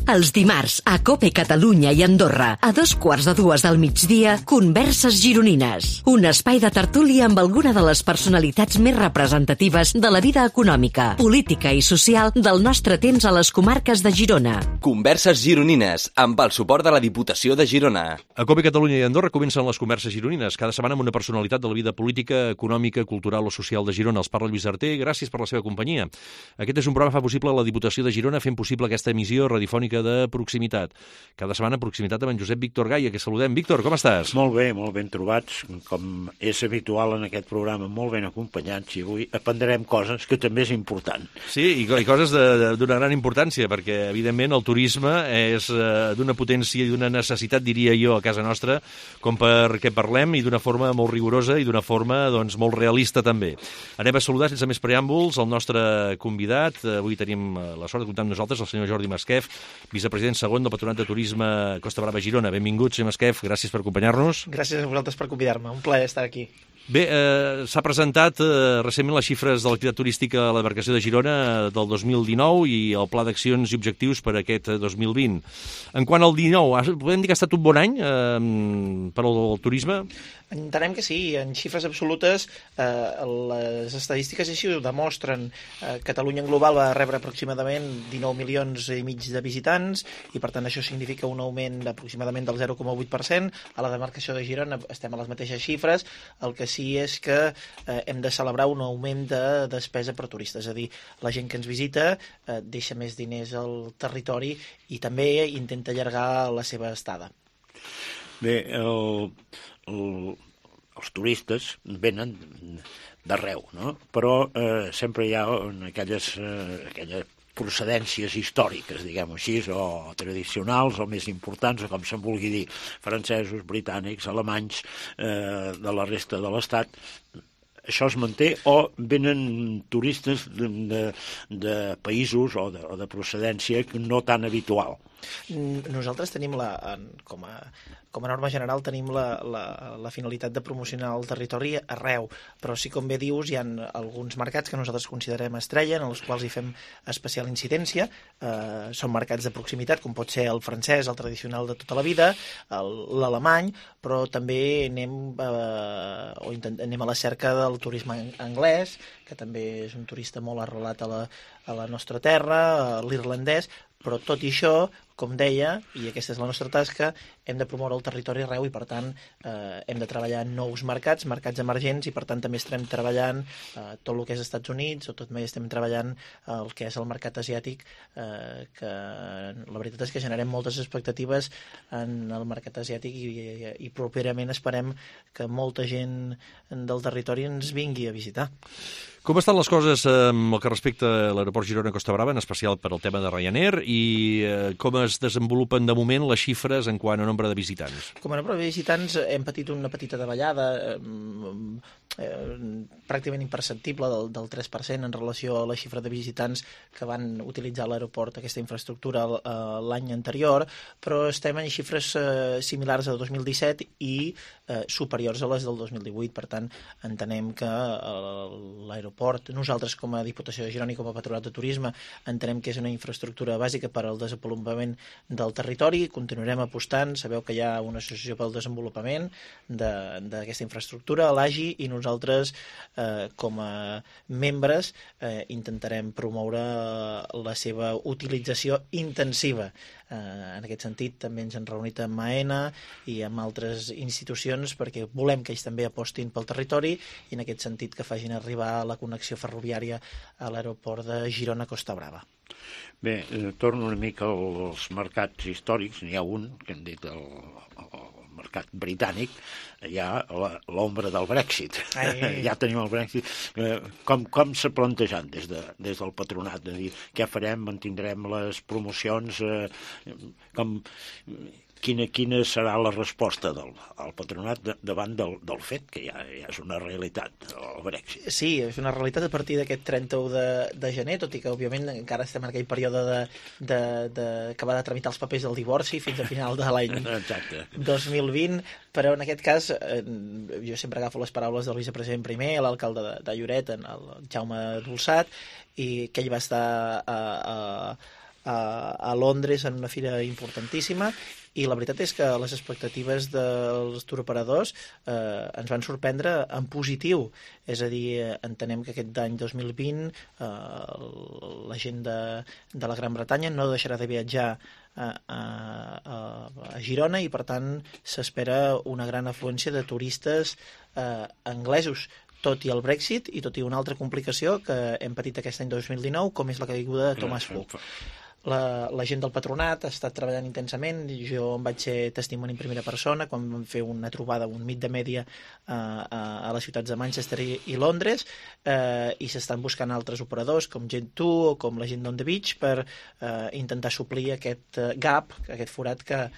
Els dimarts, a COPE Catalunya i Andorra, a 2:15 del migdia, Converses Gironines. Un espai de tertúlia amb alguna de les personalitats més representatives de la vida econòmica, política i social del nostre temps a les comarques de Girona. Converses Gironines, amb el suport de la Diputació de Girona. A COPE Catalunya i Andorra comencen les Converses Gironines, cada setmana amb una personalitat de la vida política, econòmica, cultural o social de Girona. Els parla Lluís Arter, gràcies per la seva companyia. Aquest és un programa que fa possible la Diputació de Girona, fent possible aquesta emissió radiofònica de proximitat. Cada setmana proximitat amb en Josep Víctor Gaia, que saludem. Víctor, com estàs? Molt ben trobats, com és habitual en aquest programa, molt ben acompanyats, i avui aprendrem coses que també és important. Sí, i coses d'una gran importància, perquè, evidentment, el turisme és d'una potència i d'una necessitat, diria jo, a casa nostra, com perquè parlem, i d'una forma molt rigorosa i d'una forma, doncs, molt realista, també. Anem a saludar, sense més preàmbuls, el nostre convidat. Avui tenim la sort de comptar amb nosaltres el senyor Jordi Masquef, vicepresident segon del Patronat de Turisme Costa Brava Girona. Benvingut, senyor Masquef, gràcies per acompanyar-nos. Gràcies a vosaltres per convidar-me, un plaer estar aquí. Bé, s'ha presentat recentment les xifres de l'activitat turística a la demarcació de Girona del 2019 i el pla d'accions i objectius per a aquest 2020. En quant al 19, podem dir que ha estat un bon any per al turisme? Entenem que sí, en xifres absolutes les estadístiques així ho demostren. Catalunya en global va rebre aproximadament 19 milions i mig de visitants i per tant això significa un augment d'aproximadament del 0,8%. A la demarcació de Girona estem a les mateixes xifres, el que sí és que hem de celebrar un augment de despesa per turistes, és a dir, la gent que ens visita deixa més diners al territori i també intenta allargar la seva estada. Bé, els turistes venen d'arreu, no? Però sempre hi ha aquelles procedències històriques, diguem-ho així, o tradicionals, o més importants, o com se'n vulgui dir, francesos, britànics, alemanys, de la resta de l'Estat. Això es manté o venen turistes de països o de procedència no tan habitual? Nosaltres tenim com a norma general tenim la finalitat de promocionar el territori arreu, però sí, com bé dius, hi ha alguns mercats que nosaltres considerem estrella, en els quals hi fem especial incidència. Són mercats de proximitat, com pot ser el francès, el tradicional de tota la vida, l'alemany, però també anem a la cerca del turisme anglès, que també és un turista molt arrelat a la nostra terra, l'irlandès, però tot i això, com deia, i aquesta és la nostra tasca, hem de promoure el territori arreu i, per tant, hem de treballar en nous mercats emergents, i, per tant, també estem treballant tot el que és Estats Units, o també estem treballant el que és el mercat asiàtic, que la veritat és que generem moltes expectatives en el mercat asiàtic i properament esperem que molta gent del territori ens vingui a visitar. Com estan les coses amb el que respecta a l'aeroport Girona-Costa Brava, en especial per al tema de Ryanair, i com es desenvolupen de moment les xifres en quant a nombre de visitants? Com a nombre de visitants hem patit una petita davallada, pràcticament imperceptible, del 3% en relació a la xifra de visitants que van utilitzar l'aeroport, aquesta infraestructura, l'any anterior, però estem en xifres similars al 2017 i superiors a les del 2018. Per tant, entenem que l'aeroport, nosaltres com a Diputació de Girona i com a Patronat de Turisme entenem que és una infraestructura bàsica per al desenvolupament del territori. Continuarem apostant, sabeu que hi ha una associació pel desenvolupament d'aquesta infraestructura, l'AGI, i nosaltres com a membres intentarem promoure la seva utilització intensiva. En aquest sentit també ens hem reunit amb AENA i amb altres institucions perquè volem que ells també apostin pel territori i en aquest sentit que facin arribar la connexió ferroviària a l'aeroport de Girona-Costa Brava. Bé, torno una mica als mercats històrics. N'hi ha un, que hem dit el mercat britànic, hi ha l'ombra del Brexit. Ja tenim el Brexit. Com s'ha plantejat des del patronat? De dir, què farem? Mantindrem les promocions? Quina serà la resposta del patronat davant del fet que ja és una realitat, el Brexit? Sí, és una realitat a partir d'aquest 31 de gener, tot i que, òbviament, encara estem en aquell període d'acabar de tramitar els papers del divorci fins a final de l'any 2020, però en aquest cas jo sempre agafo les paraules del vicepresident primer, l'alcalde de Lloret, el Jaume Dolçat, i que ell va estar a Londres en una fira importantíssima, i la veritat és que les expectatives dels turoperadors ens van sorprendre en positiu. És a dir, entenem que aquest any 2020 la gent de la Gran Bretanya no deixarà de viatjar a Girona, i per tant s'espera una gran afluència de turistes anglesos, tot i el Brexit i tot i una altra complicació que hem patit aquest any 2019, com és la caiguda de Thomas Cook. La gent del patronat ha estat treballant intensament. Jo em vaig ser testimoni en primera persona quan vam fer una trobada, un meet de mèdia a les ciutats de Manchester i Londres, i s'estan buscant altres operadors com Gen2 o com la gent d'On the Beach per intentar suplir aquest gap, aquest forat que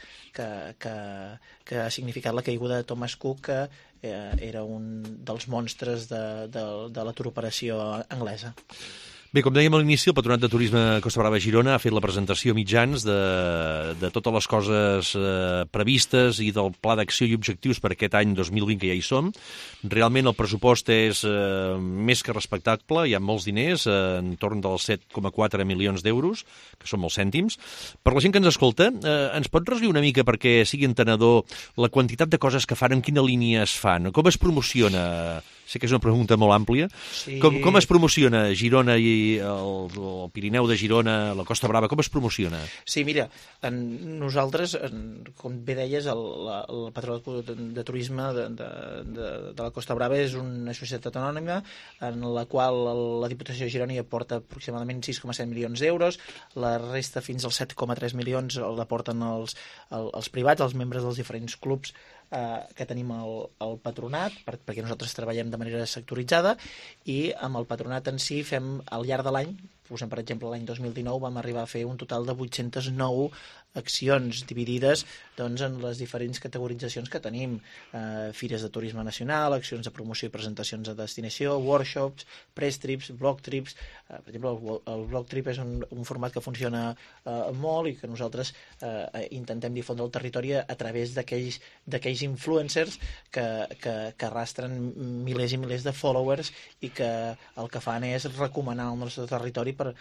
ha significat la caiguda de Thomas Cook, que era un dels monstres de la turoperació anglesa. Bé, com dèiem a l'inici, el Patronat de Turisme Costa Brava Girona ha fet la presentació a mitjans de totes les coses previstes i del pla d'acció i objectius per aquest any 2020 que ja hi som. Realment el pressupost és més que respectable, hi ha molts diners, entorn dels 7,4 milions d'euros, que són molts cèntims. Per la gent que ens escolta, ens pot resumir una mica perquè sigui entenedor la quantitat de coses que fan, en quina línia es fan, com es promociona? Sé que és una pregunta molt àmplia. Sí. Com es promociona Girona i el Pirineu de Girona, la Costa Brava, com es promociona? Sí, mira, nosaltres, com bé deies, el Patronat de Turisme de la Costa Brava és una societat anònima en la qual la Diputació de Girona hi aporta aproximadament 6,7 milions d'euros, la resta fins als 7,3 milions l'aporten els privats, els membres dels diferents clubs que tenim al patronat, perquè nosaltres treballem de manera sectoritzada, i amb el patronat en si fem al llarg de l'any, posem per exemple l'any 2019 vam arribar a fer un total de 809 accions dividides doncs, en les diferents categoritzacions que tenim, fires de turisme nacional, accions de promoció i presentacions a destinació, workshops, press trips, blog trips. Per exemple, el blog trip és un format que funciona molt i que nosaltres intentem difondre el territori a través d'aquells influencers que arrastren milers i milers de followers i que el que fan és recomanar el nostre territori per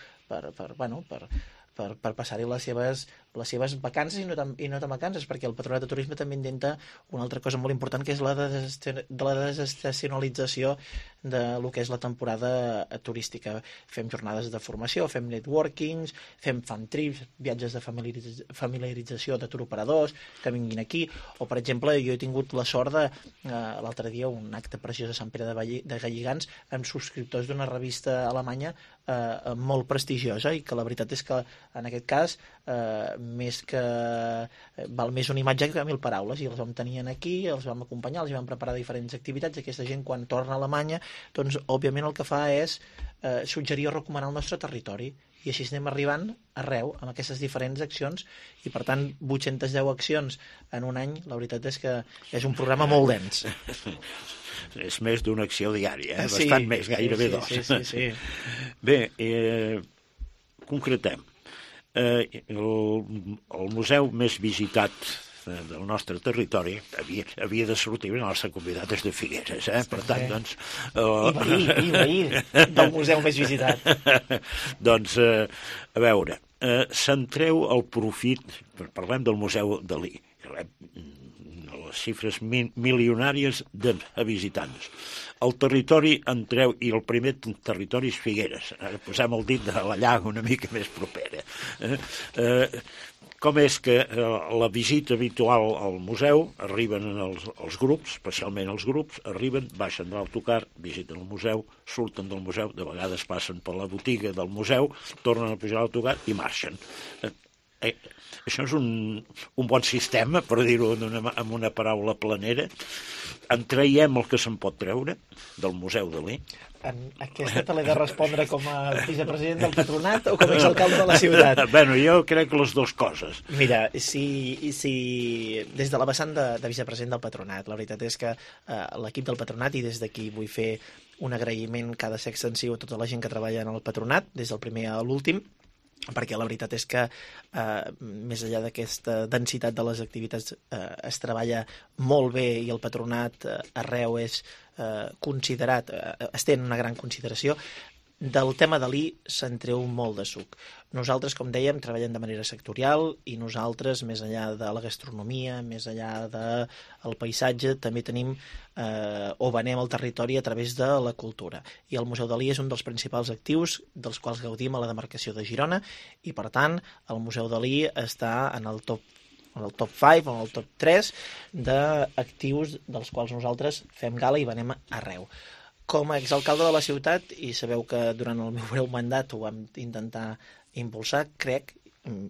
passar-hi les seves vacances i no tan vacances, perquè el Patronat de Turisme també intenta una altra cosa molt important, que és la desestacionalització de lo que és la temporada turística. Fem jornades de formació, fem networkings, fem fan trips, viatges de familiarització de turoperadors que vinguin aquí, o per exemple jo he tingut la sort de l'altre dia un acte preciós a Sant Pere de Galligants amb subscriptors d'una revista alemanya molt prestigiosa, i que la veritat és que en aquest cas val més una imatge que 1000 paraules, i els vam tenir aquí, els vam acompanyar, els vam preparar diferents activitats, i aquesta gent quan torna a Alemanya doncs òbviament el que fa és suggerir o recomanar el nostre territori, i així anem arribant arreu amb aquestes diferents accions, i per tant 810 accions en un any, la veritat és que és un programa molt dens. És més d'una acció diària, bastant més, gairebé dos. Sí. Bé, concretem. El museu més visitat del nostre territori havia de sortir el nostre convidat és de Figueres, per tant, doncs... I veí del museu més visitat. Doncs, a veure, centreu el profit, parlem del Museu Dalí, les xifres milionàries de visitants. El territori entreu, i el primer territori és Figueres. Ara posem el dit de la llaga una mica més propera. Com és que la visita habitual al museu, arriben els grups, especialment els grups, arriben, baixen de l'autocar, visiten el museu, surten del museu, de vegades passen per la botiga del museu, tornen a pujar a l'autocar i marxen. Això és un bon sistema, per dir-ho amb una paraula planera. En traiem el que se'n pot treure del Museu Dalí. Aquesta te l'he de respondre com a vicepresident del patronat o com a exalcalde de la ciutat? Bueno, jo crec que les dues coses. Mira, si des de la vessant de vicepresident del patronat, la veritat és que l'equip del patronat, i des d'aquí vull fer un agraïment que ha de ser extensiu a tota la gent que treballa en el patronat, des del primer a l'últim, perquè la veritat és que més enllà d'aquesta densitat de les activitats es treballa molt bé, i el patronat arreu és considerat, es té una gran consideració. del tema Dalí se'n treu molt de suc. Nosaltres, com dèiem, treballem de manera sectorial i nosaltres, més enllà de la gastronomia, més enllà del paisatge, també tenim o venem el territori a través de la cultura. I el Museu Dalí és un dels principals actius dels quals gaudim a la demarcació de Girona i, per tant, el Museu Dalí està en el top 5 o en el top 3 d'actius dels quals nosaltres fem gala i venem arreu. Com a exalcalde de la ciutat, i sabeu que durant el meu breu mandat ho vam intentar impulsar,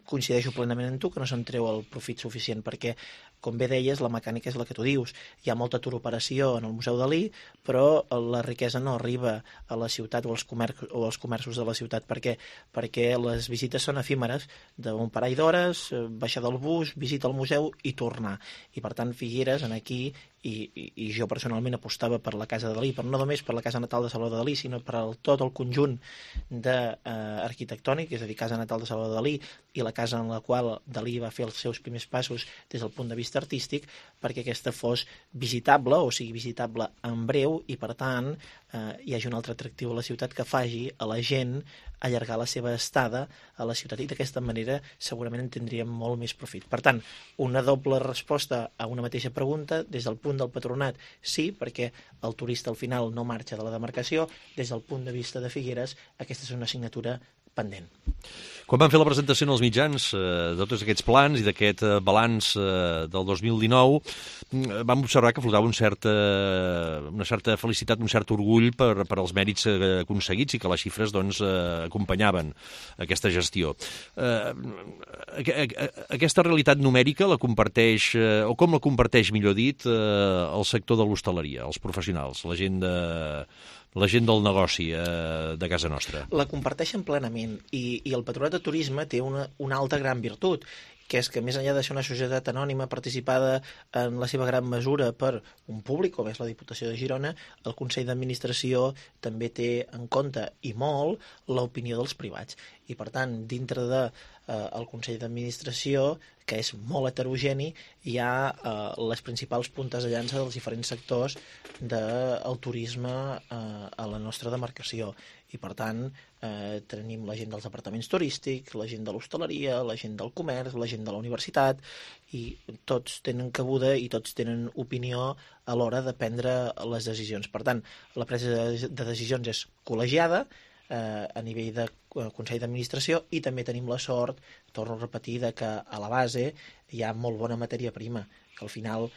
coincideixo plenament amb tu, que no se'n treu el profit suficient, perquè, com bé deies, la mecànica és la que tu dius. Hi ha molta turoperació en el Museu Dalí, però la riquesa no arriba a la ciutat o als comerços de la ciutat. Per què? Perquè les visites són efímeres, d'un parell d'hores, baixar del bus, visita al museu i tornar. I, per tant, Figueres, aquí, i jo personalment apostava per la Casa de Dalí, però no només per la casa natal de Salvador Dalí, sinó per tot el conjunt arquitectònic, és a dir, casa natal de Salvador Dalí i la casa en la qual Dalí va fer els seus primers passos des del punt de vista artístic, perquè aquesta fos visitable, o sigui, visitable en breu, i per tant hi hagi un altre atractiu a la ciutat que faci a la gent allargar la seva estada a la ciutat, i d'aquesta manera segurament en tindríem molt més profit. Per tant, una doble resposta a una mateixa pregunta. Des del punt del patronat, sí, perquè el turista al final no marxa de la demarcació. Des del punt de vista de Figueres, aquesta és una assignatura pendent. Quan van fer la presentació en els mitjans de tots aquests plans i d'aquest balanç del 2019, vam observar que flotava una certa felicitat, un cert orgull per als mèrits aconseguits i que les xifres acompanyaven aquesta gestió. Aquesta realitat numèrica la comparteix, o com la comparteix, millor dit, el sector de l'hostaleria, els professionals, la gent del negoci de casa nostra? La comparteixen plenament, i el Patronat de Turisme té una altra gran virtut, que és que més enllà de ser una societat anònima participada en la seva gran mesura per un públic, com és la Diputació de Girona, el Consell d'Administració també té en compte, i molt, l'opinió dels privats. I, per tant, dintre del Consell d'Administració, que és molt heterogeni, hi ha les principals puntes de llança dels diferents sectors del turisme a la nostra demarcació. I, per tant, tenim la gent dels departaments turístics, la gent de l'hostaleria, la gent del comerç, la gent de la universitat, i tots tenen cabuda i tots tenen opinió a l'hora de prendre les decisions. Per tant, la presa de decisions és col·legiada a nivell de Consell d'Administració, i també tenim la sort, torno a repetir, que a la base hi ha molt bona matèria prima, que al final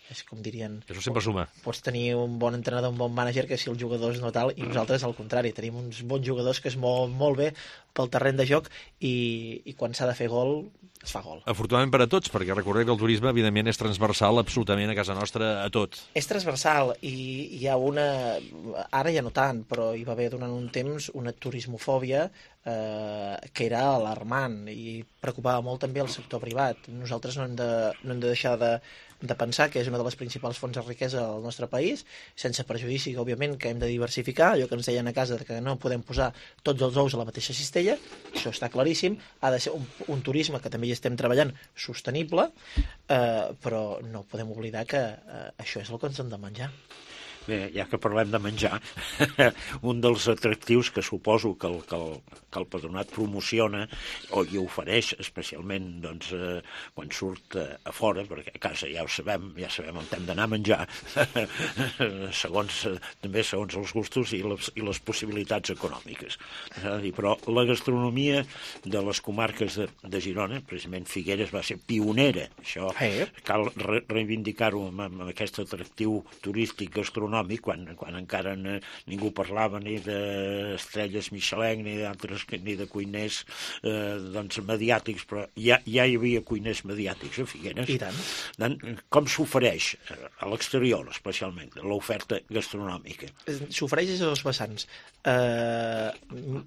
és com dirien... Això sempre suma. Pots tenir un bon entrenador, un bon mànager, que si els jugadors no tal, i nosaltres al contrari, tenim uns bons jugadors que es mouen molt bé pel terreny de joc, i quan s'ha de fer gol, es fa gol. Afortunadament per a tots, perquè recordem que el turisme, evidentment, és transversal absolutament a casa nostra a tot. És transversal, i hi ha ara ja no tant, però hi va haver durant un temps una turismofòbia que era alarmant i preocupava molt també el sector privat. Nosaltres no hem de deixar de pensar que és una de les principals fonts de riquesa del nostre país, sense perjudici, òbviament, que hem de diversificar, allò que ens deien a casa, que no podem posar tots els ous a la mateixa cistella, això està claríssim. Ha de ser un turisme que també hi estem treballant sostenible, però no podem oblidar que això és el que ens hem de menjar. Bé, ja que parlem de menjar, un dels atractius que suposo que el Patronat promociona i ofereix, especialment quan surt a fora, perquè a casa ja sabem on hem d'anar a menjar, segons els gustos i les possibilitats econòmiques. Però la gastronomia de les comarques de Girona, precisament Figueres, va ser pionera. Això cal reivindicar-ho amb aquest atractiu turístic gastronòmic, quan encara ningú parlava ni d'estrelles Michelin ni de cuiners mediàtics, però ja hi havia cuiners mediàtics a Figueres. I tant. Com s'ofereix a l'exterior, especialment, l'oferta gastronòmica? S'ofereix des de dos vessants. En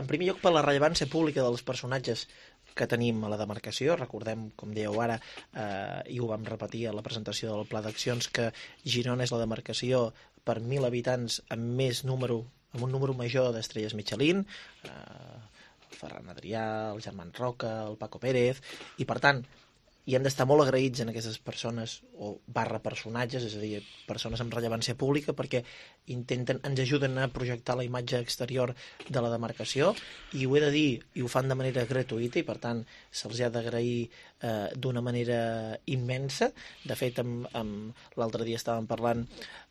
primer lloc, per la rellevància pública dels personatges que tenim a la demarcació. Recordem, com dèieu ara, i ho vam repetir a la presentació del Pla d'Accions, que Girona és la demarcació per 1.000 habitants amb un número major d'estrelles Michelin, el Ferran Adrià, el Germán Roca, el Paco Pérez, i per tant i hem d'estar molt agraïts en aquestes persones o personatges, és a dir, persones amb rellevància pública, perquè ens ajuden a projectar la imatge exterior de la demarcació, i ho he de dir, i ho fan de manera gratuïta, i per tant se'ls ha d'agrair d'una manera immensa. De fet, l'altre dia estàvem parlant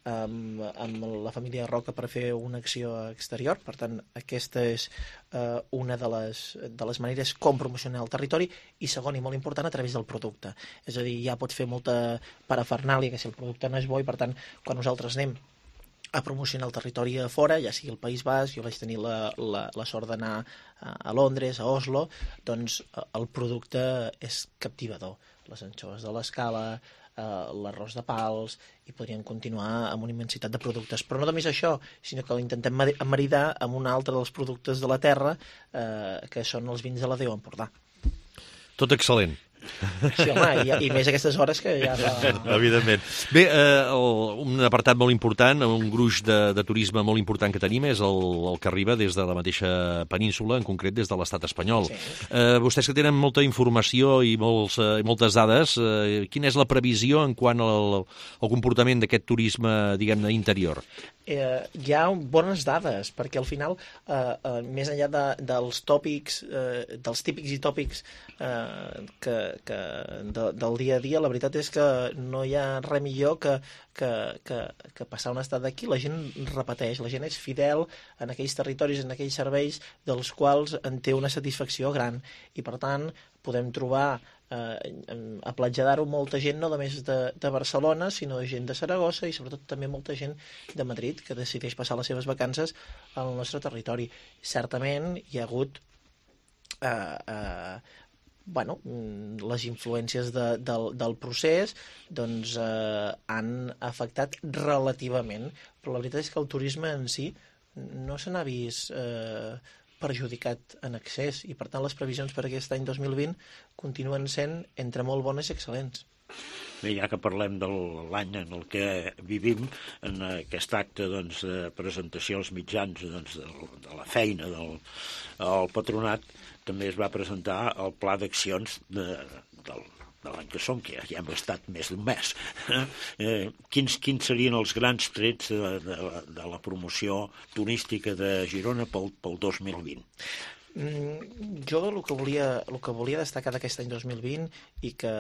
amb la família Roca per fer una acció exterior, per tant aquesta és una de les maneres com promocionar el territori, i segon i molt important, a través del producte. És a dir, ja pots fer molta parafernàlia, que si el producte no és bo, i per tant quan nosaltres anem a promocionar el territori a fora, ja sigui el País Basc, jo vaig tenir la sort d'anar a Londres, a Oslo, doncs el producte és captivador. Les anxoves de l'Escala, l'arròs de Pals, i podríem continuar amb una immensitat de productes. Però no només això, sinó que l'intentem maridar amb un altre dels productes de la terra, que són els vins de la Déu Empordà. Tot excel·lent. Sí, home, i més a aquestes hores que ja fa... Evidentment. Bé, un apartat molt important, un gruix de turisme molt important que tenim és el que arriba des de la mateixa península, en concret des de l'estat espanyol. Sí. Vostès que tenen molta informació i moltes dades, quina és la previsió en quant al comportament d'aquest turisme, diguem-ne, interior? Hi ha bones dades, perquè al final, més enllà dels tòpics, dels típics i tòpics del dia a dia, la veritat és que no hi ha res millor que passar una estada aquí. La gent repeteix, la gent és fidel en aquells territoris, en aquells serveis dels quals en té una satisfacció gran, i per tant podem trobar a Platja molta gent no només de Barcelona, sinó gent de Saragossa, i sobretot també molta gent de Madrid que decideix passar les seves vacances al nostre territori. Certament hi ha hagut les influències del procés doncs han afectat relativament, però la veritat és que el turisme en si no se n'ha vist perjudicat en excés, i per tant les previsions per aquest any 2020 continuen sent entre molt bones i excel·lents. Bé, ja que parlem de l'any en el que vivim, en aquest acte de presentació als mitjans de la feina del patronat, també es va presentar el pla d'accions de l'any que som, que ja hem estat més d'un mes. Quins serien els grans trets de la promoció turística de Girona pel 2020? Jo el que volia destacar d'aquest any 2020, i que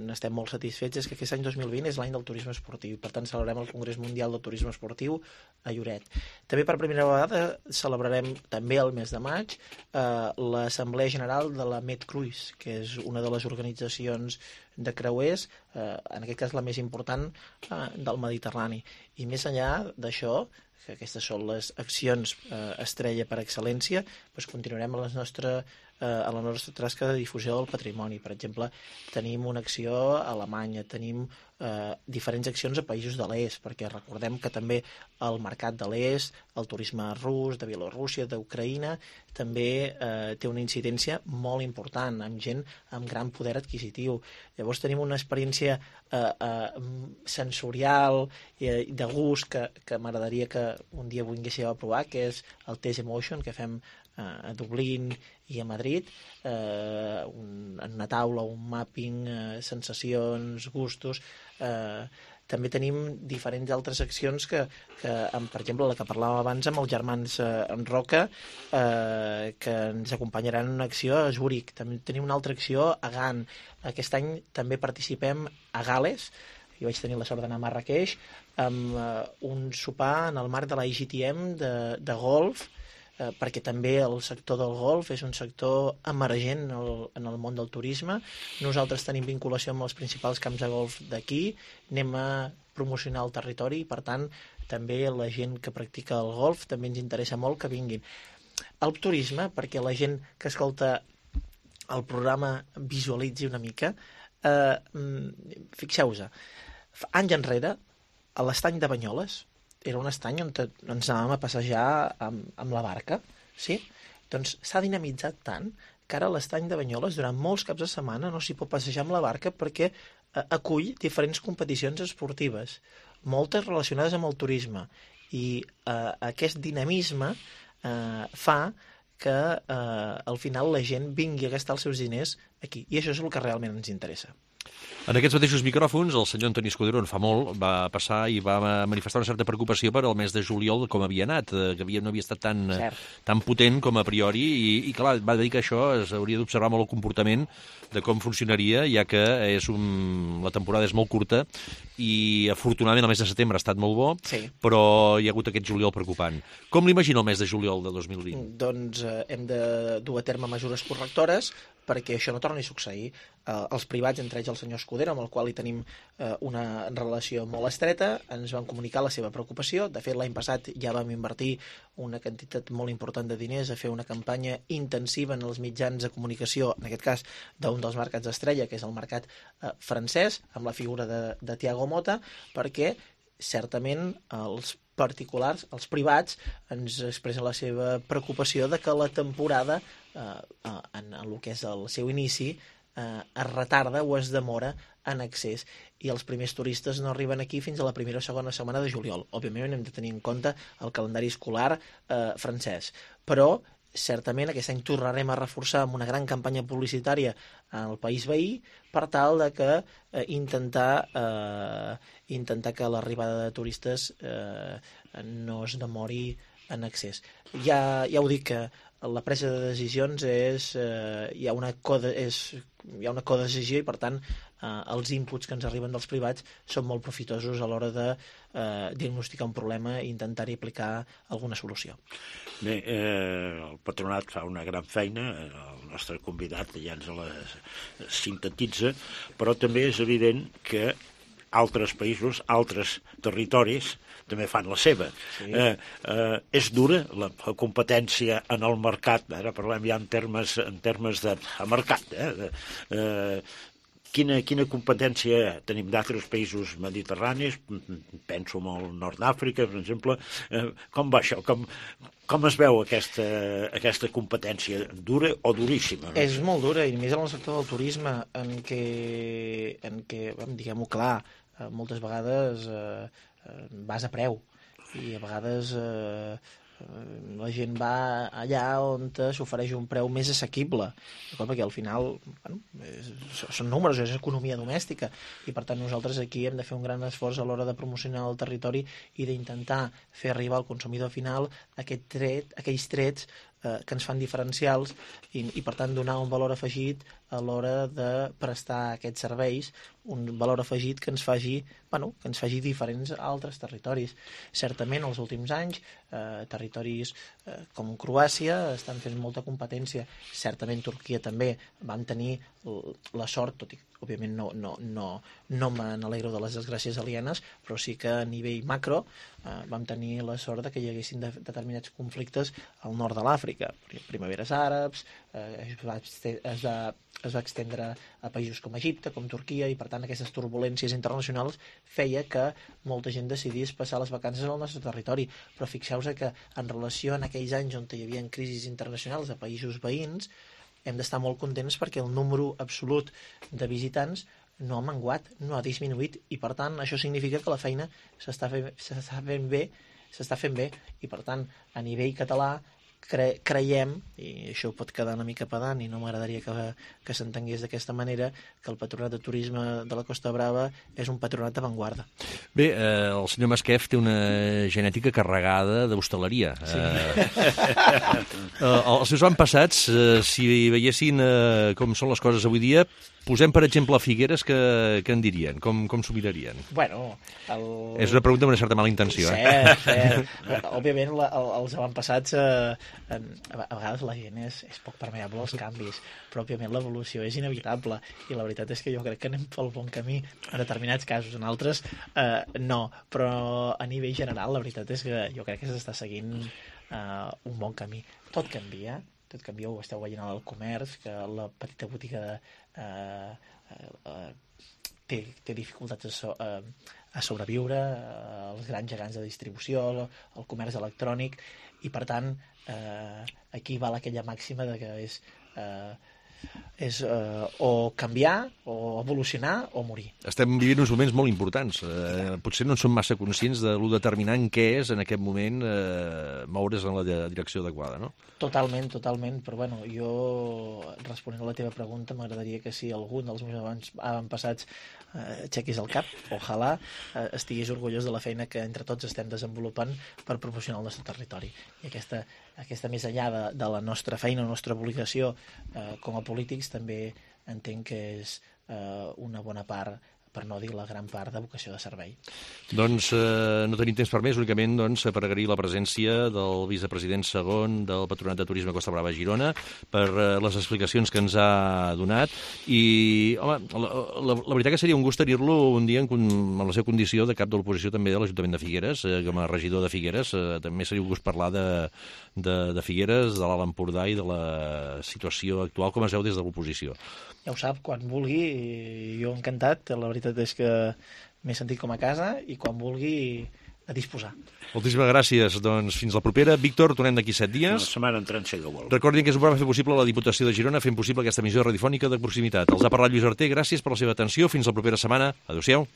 n'estem molt satisfets, és que aquest any 2020 és l'any del turisme esportiu, per tant celebrarem el Congrés Mundial del Turisme Esportiu a Lloret. També per primera vegada celebrarem també el mes de maig l'Assemblea General de la MedCruise, que és una de les organitzacions de creuers, en aquest cas la més important del Mediterrani. I més enllà d'això, que aquestes són les accions estrella per excel·lència, doncs continuarem a la nostra tasca de difusió del patrimoni. Per exemple, tenim una acció a Alemanya, tenim diferents accions a països de l'est, perquè recordem que també el mercat de l'est, el turisme rus, de Bielorússia, d'Ucraïna, també té una incidència molt important, amb gent amb gran poder adquisitiu. Llavors tenim una experiència sensorial, de gust, que m'agradaria que un dia vinguéssiu a provar, que és el Test Emotion, que fem a Dublín i a Madrid, en una taula, un mapping, sensacions, gustos. També tenim diferents altres accions que per exemple, la que parlàvem abans amb els germans Roca, que ens acompanyaran en una acció a Zúrich. També tenim una altra acció a Gant. Aquest any també participem a Gal·les. Jo vaig tenir la sort d'anar a Marrakeix amb un sopar en el marc de la IGTM de golf, perquè també el sector del golf és un sector emergent en el món del turisme. Nosaltres tenim vinculació amb els principals camps de golf d'aquí, anem a promocionar el territori, i per tant també la gent que practica el golf també ens interessa molt que vinguin. El turisme, perquè la gent que escolta el programa visualitzi una mica, fixeu-vos, anys enrere, a l'estany de Banyoles, era un estany on ens anàvem a passejar amb la barca, sí? Doncs s'ha dinamitzat tant que ara l'estany de Banyoles durant molts caps de setmana no s'hi pot passejar amb la barca perquè acull diferents competicions esportives, moltes relacionades amb el turisme, i aquest dinamisme fa que al final la gent vingui a gastar els seus diners aquí. I això és el que realment ens interessa. En aquests mateixos micròfons, el senyor Antoni Escudero, en fa molt, va passar i va manifestar una certa preocupació per al mes de juliol com havia anat, que no havia estat tan potent com a priori, i clar, va dir que això s'hauria d'observar molt el comportament de com funcionaria, ja que la temporada és molt curta i afortunadament el mes de setembre ha estat molt bo, però hi ha hagut aquest juliol preocupant. Com l'imagina el mes de juliol de 2020? Doncs hem de dur a terme mesures correctores perquè això no torni a succeir. Els privats, entre ells el senyor Escudero, amb el qual hi tenim una relació molt estreta, ens van comunicar la seva preocupació. De fet, l'any passat ja vam invertir una quantitat molt important de diners a fer una campanya intensiva en els mitjans de comunicació, en aquest cas d'un dels mercats estrella, que és el mercat francès, amb la figura de Thiago Motta, perquè certament els particulars, els privats, ens expressen la seva preocupació de que la temporada, en el que és el seu inici, es retarda o es demora en accés, i els primers turistes no arriben aquí fins a la primera o segona setmana de juliol. Òbviament hem de tenir en compte el calendari escolar francès, però certament aquest any tornarem a reforçar amb una gran campanya publicitària al país veí per tal de que intentar que l'arribada de turistes no es demori en accés. Ja ho dic, que la presa de decisions hi ha una codecisió i per tant els inputs que ens arriben dels privats són molt profitosos a l'hora de diagnosticar un problema i intentar-hi aplicar alguna solució. Bé, el patronat fa una gran feina, el nostre convidat ja ens la sintetitza, però també és evident que altres països, altres territoris també fan la seva. Sí. És dura la competència en el mercat, ara parlem ja en termes de mercat. Quina competència tenim d'altres països mediterranis? Penso en el nord d'Àfrica, per exemple. Com va això? Com es veu aquesta competència? Dura o duríssima? És molt dura, i més en el sector del turisme, en què diguem-ho clar, moltes vegades vas a preu, i a vegades la gent va allà on s'ofereix un preu més assequible, perquè al final són números, és economia domèstica, i per tant nosaltres aquí hem de fer un gran esforç a l'hora de promocionar el territori i d'intentar fer arribar al consumidor final aquells trets que ens fan diferencials i per tant donar un valor afegit a l'hora de prestar aquests serveis, un valor afegit que ens faci diferents a altres territoris. Certament, els últims anys, territoris com Croàcia estan fent molta competència. Certament, Turquia també. Vam tenir la sort, tot i que òbviament no me n'alegro de les desgràcies alienes, però sí que a nivell macro vam tenir la sort que hi haguessin determinats conflictes al nord de l'Àfrica. Primaveres àrabs, es va extendre a països com Egipte, com Turquia, i per tant aquestes turbulències internacionals feia que molta gent decidís passar les vacances al nostre territori. Però fixeu-vos que en relació a aquells anys on hi havia crisis internacionals a països veïns, hem d'estar molt contents perquè el número absolut de visitants no ha menguat, no ha disminuït, i per tant això significa que la feina s'està fent bé, i per tant a nivell català creiem, i això pot quedar una mica pedant i no m'agradaria que s'entengués d'aquesta manera, que el Patronat de Turisme de la Costa Brava és un patronat d'avantguarda. Bé, el senyor Masquef té una genètica carregada d'hostaleria. Sí. Els seus avantpassats, si veiessin com són les coses avui dia, posem, per exemple, Figueres, que en dirien? Com s'ho mirarien? Bueno, és una pregunta amb una certa mala intenció. Cert. Òbviament, els avantpassats, a vegades la gent és poc permeable als canvis, però òbviament l'evolució és inevitable, i la veritat és que jo crec que anem pel bon camí en determinats casos, en altres no, però a nivell general la veritat és que jo crec que s'està seguint un bon camí. Tot canvia, ho esteu veient al comerç, que la petita botiga té dificultats a sobreviure, els grans gegants de distribució, el comerç electrònic, i per tant aquí val aquella màxima de que és o canviar, o evolucionar, o morir. Estem vivint uns moments molt importants. Potser no en som massa conscients de lo determinant que és en aquest moment moure's en la direcció adequada, no? Totalment, però bueno, jo, responent a la teva pregunta, m'agradaria que si algun dels meus avantpassats aixequis el cap, ojalà estigués orgullós de la feina que entre tots estem desenvolupant per promocionar el nostre territori. I aquesta més enllà de la nostra feina, la nostra obligació com a polítics, també entenc que és una bona part, per no dir la gran part, de vocació de servei. Doncs no tenim temps per més, únicament per agrair la presència del vicepresident segon del Patronat de Turisme Costa Brava Girona per les explicacions que ens ha donat i, home, la veritat que seria un gust tenir-lo un dia en la seva condició de cap de l'oposició també de l'Ajuntament de Figueres, com a regidor de Figueres. També seria un gust parlar de Figueres, de l'Alt Empordà i de la situació actual com es veu des de l'oposició. Ja ho sap, quan vulgui, jo encantat, la veritat és que m'he sentit com a casa i quan vulgui a disposar. Moltíssimes gràcies. Doncs fins la propera. Víctor, tornem d'aquí 7 dies. Una setmana entrant, si vol. Recordin que és un programa fer possible la Diputació de Girona, fent possible aquesta emissió radiofònica de proximitat. Els ha parlat Lluís Arter, gràcies per la seva atenció. Fins la propera setmana. Adéu-siau.